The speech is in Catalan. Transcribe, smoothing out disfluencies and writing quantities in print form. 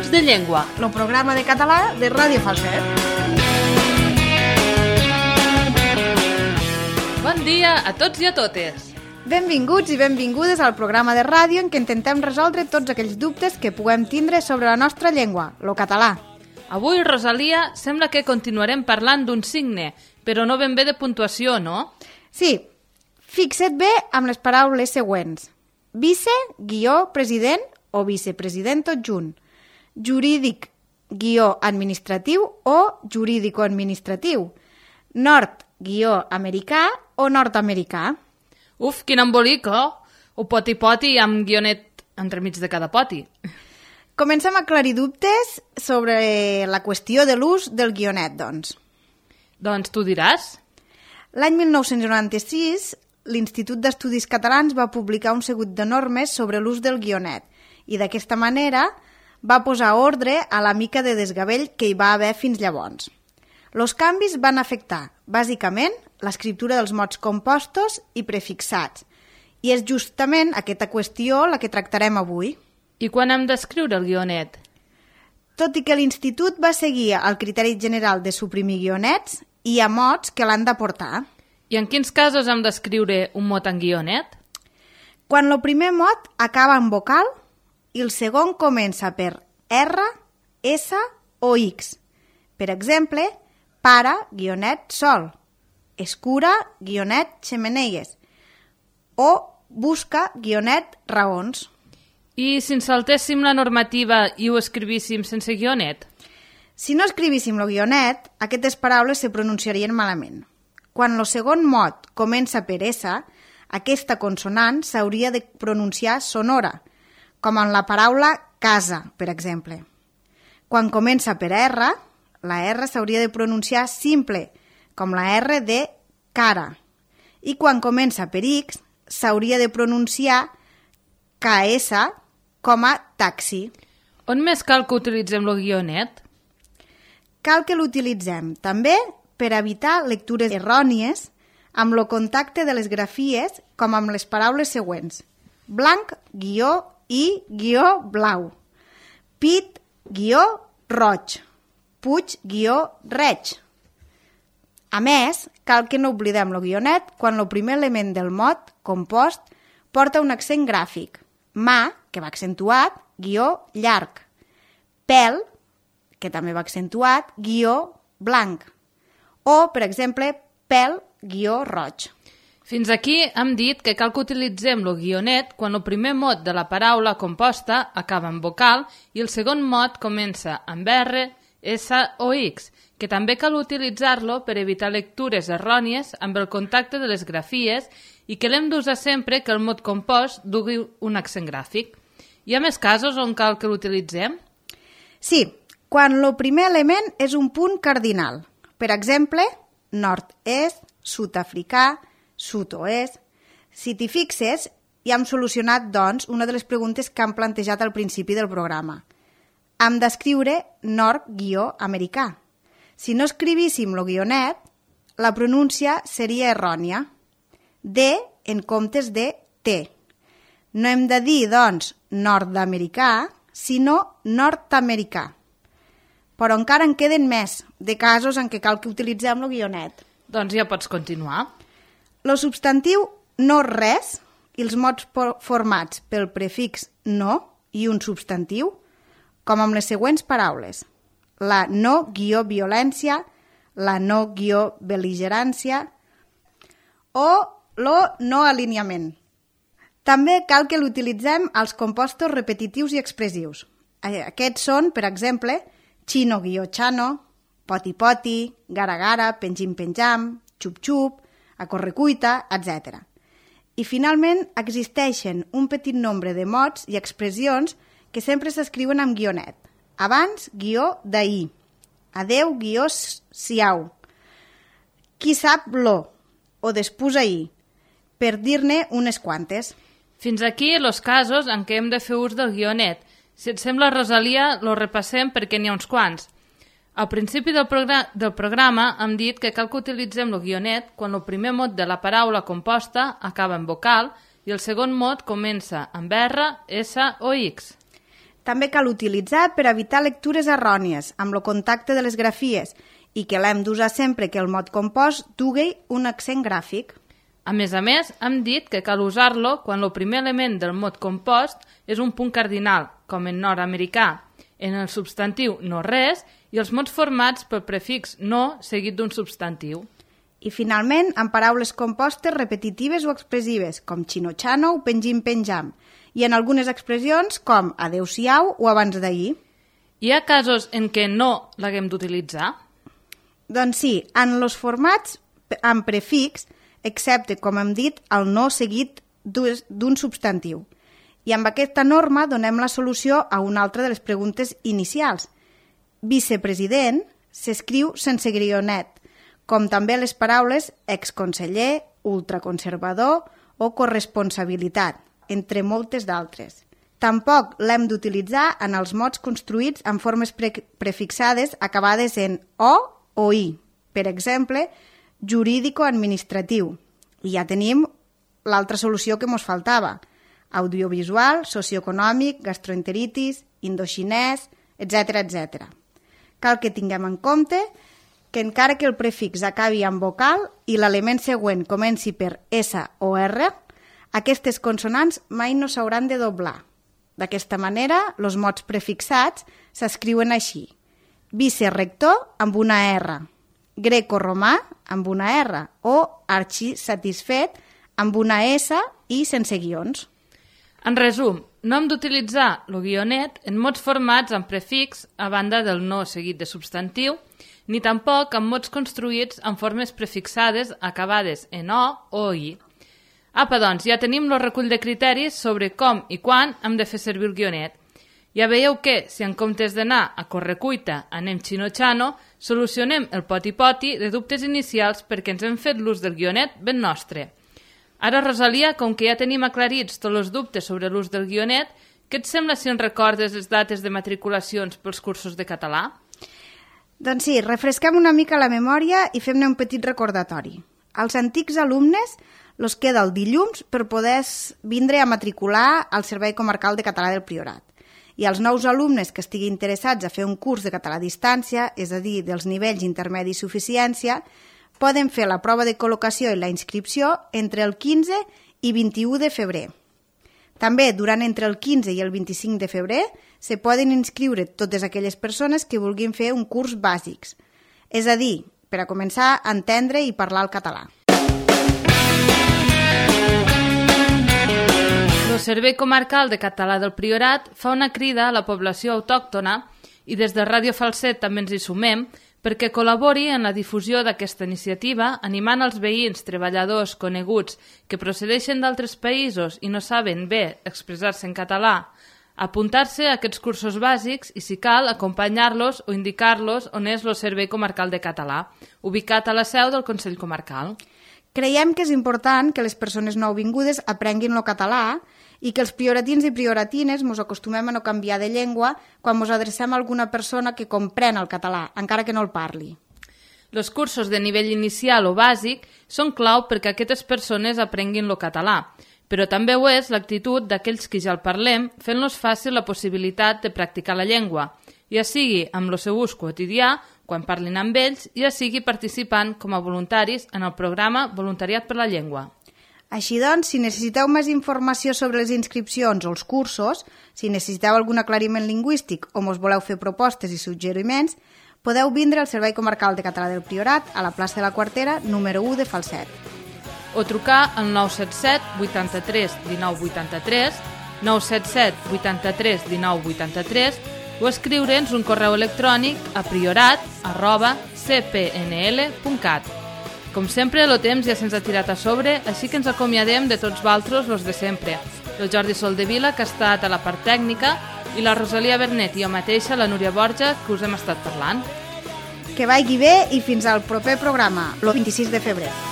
Minuts de Llengua, el programa de català de Ràdio Falset. Bon dia a tots i a totes. Benvinguts i benvingudes al programa de ràdio en què intentem resoldre tots aquells dubtes que puguem tindre sobre la nostra llengua, el català. Avui, Rosalia, sembla que continuarem parlant d'un signe, però no ben bé de puntuació, no? Sí, fixa't bé amb les paraules següents. Vice, president o vicepresident tot junt. Jurídic, administratiu o jurídico-administratiu. Nord, americà o nord-americà. Uf, quin embolic, oh? O poti-poti amb guionet entremig de cada poti. Comencem a aclarir dubtes sobre la qüestió de l'ús del guionet, doncs. Doncs tu diràs. L'any 1996, l'Institut d'Estudis Catalans va publicar un seguit de normes sobre l'ús del guionet i d'aquesta manera va posar ordre a la mica de desgavell que hi va haver fins llavors. Els canvis van afectar, bàsicament, l'escriptura dels mots compostos i prefixats, i és justament aquesta qüestió la que tractarem avui. I quan hem d'escriure el guionet? Tot i que l'Institut va seguir el criteri general de suprimir guionets, hi ha mots que l'han d'aportar. I en quins casos hem d'escriure un mot en guionet? Quan el primer mot acaba en vocal i el segon comença per R, S o X. Per exemple, para, sol, escura, xemeneies o busca, raons. I si ens saltéssim la normativa i ho escrivíssim sense guionet? Si no escrivíssim el guionet, aquestes paraules se pronunciarien malament. Quan el segon mot comença per S, aquesta consonant s'hauria de pronunciar sonora, com en la paraula casa, per exemple. Quan comença per R, la R s'hauria de pronunciar simple, com la R de cara. I quan comença per X, s'hauria de pronunciar KS com a taxi. On més cal que utilitzem el guionet? Cal que l'utilitzem també per evitar lectures errònies amb el contacte de les grafies com amb les paraules següents. Blanc, blau. Pit, roig. Puig, reig. A més, cal que no oblidem el guionet quan el primer element del mot compost porta un accent gràfic. Mà, que va accentuat, llarg. Pèl, que també va accentuat, blanc. O, per exemple, pèl, roig. Fins aquí hem dit que cal que utilitzem el guionet quan el primer mot de la paraula composta acaba en vocal i el segon mot comença amb R, S o X, que també cal utilitzar-lo per evitar lectures errònies amb el contacte de les grafies i que l'hem d'usar sempre que el mot compost dugui un accent gràfic. Hi ha més casos on cal que l'utilitzem? Sí, quan el primer element és un punt cardinal. Per exemple, nord-est, sud-africà, sud-oest. Si t'hi fixes, ja hem solucionat, doncs, una de les preguntes que hem plantejat al principi del programa. Hem d'escriure nord-americà. Si no escrivíssim el guionet, la pronúncia seria errònia. D en comptes de T. No hem de dir, doncs, nord-americà, sinó nord-americà. Però encara en queden més de casos en què cal que utilitzem el guionet. Doncs ja pots continuar. El substantiu no res i els mots formats pel prefix no i un substantiu, com amb les següents paraules. La no-violència, la no-bel·ligerància o lo no-alineament. També cal que l'utilitzem als compostos repetitius i expressius. Aquests són, per exemple, chino-chano, poti-poti, gara-gara, penjim-penjam, xup-xup, a correcuita, etc. I finalment existeixen un petit nombre de mots i expressions que sempre s'escriuen amb guionet. Abans, d'ahir. Adeu, siau. Qui sap lo, o després ahir, per dir-ne unes quantes. Fins aquí els casos en què hem de fer ús del guionet. Si et sembla, Rosalia, lo repassem perquè n'hi ha uns quants. Al principi del programa hem dit que cal que utilitzem el guionet quan el primer mot de la paraula composta acaba en vocal i el segon mot comença amb R, S o X. També cal utilitzar per evitar lectures errònies amb el contacte de les grafies i que l'hem d'usar sempre que el mot compost dugui un accent gràfic. A més, hem dit que cal usar-lo quan el primer element del mot compost és un punt cardinal, com en nord-americà, en el substantiu no res i els mots formats pel prefix no seguit d'un substantiu. I finalment, en paraules compostes repetitives o expressives, com xino-xano o penjim-penjam, i en algunes expressions com adeu-siau o abans d'ahir. Hi ha casos en què no l'haguem d'utilitzar? Doncs sí, en els formats amb prefix, excepte, com hem dit, el no seguit d'un substantiu. I amb aquesta norma donem la solució a una altra de les preguntes inicials. Vicepresident s'escriu sense guionet, com també les paraules exconseller, ultraconservador o corresponsabilitat, entre moltes d'altres. Tampoc l'hem d'utilitzar en els mots construïts en formes prefixades acabades en o i. Per exemple, jurídico-administratiu. I ja tenim l'altra solució que ens faltava. Audiovisual, socioeconòmic, gastroenteritis, indoxinès, etc. Cal que tinguem en compte que encara que el prefix acabi amb vocal i l'element següent comenci per S o R, aquestes consonants mai no s'hauran de doblar. D'aquesta manera, els mots prefixats s'escriuen així. Vicerector amb una R, greco-romà amb una R o arxisatisfet amb una S i sense guions. En resum, no hem d'utilitzar el guionet en mots formats amb prefix a banda del no seguit de substantiu, ni tampoc en mots construïts en formes prefixades acabades en o i. Apa, doncs, ja tenim el recull de criteris sobre com i quan hem de fer servir el guionet. Ja veieu que, si en comptes d'anar a correcuita anem xino-xano, solucionem el poti-poti de dubtes inicials perquè ens hem fet l'ús del guionet ben nostre. Ara, Rosalia, com que ja tenim aclarits tots els dubtes sobre l'ús del guionet, què et sembla si ens recordes les dates de matriculacions pels cursos de català? Doncs sí, refresquem una mica la memòria i fem-ne un petit recordatori. Als antics alumnes els queda el dilluns per poder vindre a matricular al Servei Comarcal de Català del Priorat. I als nous alumnes que estiguin interessats a fer un curs de català a distància, és a dir, dels nivells intermedi i suficiència, poden fer la prova de col·locació i la inscripció entre el 15 i 21 de febrer. També, durant entre el 15 i el 25 de febrer, se poden inscriure totes aquelles persones que vulguin fer un curs bàsics, és a dir, per a començar a entendre i parlar el català. El Servei Comarcal de Català del Priorat fa una crida a la població autòctona i des de Ràdio Falset també ens hi sumem perquè col·labori en la difusió d'aquesta iniciativa animant els veïns, treballadors, coneguts que procedeixen d'altres països i no saben bé expressar-se en català a apuntar-se a aquests cursos bàsics i, si cal, acompanyar-los o indicar-los on és el Servei Comarcal de Català, ubicat a la seu del Consell Comarcal. Creiem que és important que les persones nouvingudes aprenguin el català i que els prioratins i prioratines ens acostumem a no canviar de llengua quan ens adrecem a alguna persona que comprèn el català, encara que no el parli. Els cursos de nivell inicial o bàsic són clau perquè aquestes persones aprenguin el català, però també ho és l'actitud d'aquells que ja el parlem, fent-los fàcil la possibilitat de practicar la llengua, ja sigui amb el seu ús quotidià, quan parlin amb ells, ja sigui participant com a voluntaris en el programa Voluntariat per la Llengua. Així doncs, si necessiteu més informació sobre les inscripcions o els cursos, si necessiteu algun aclariment lingüístic o us voleu fer propostes i suggeriments, podeu vindre al Servei Comarcal de Català del Priorat a la plaça de la Quartera, número 1 de Falset. O trucar al 977 83 19 83, 977 83 19 83 o escriure'ns un correu electrònic a priorat@cpnl.cat. Com sempre, el temps ja se'ns ha tirat a sobre, així que ens acomiadem de tots vosaltres, los de sempre. El Jordi Soldevila, que ha estat a la part tècnica, i la Rosalia Bernet i jo mateixa, la Núria Borja, que us hem estat parlant. Que vagi bé i fins al proper programa, el 26 de febrer.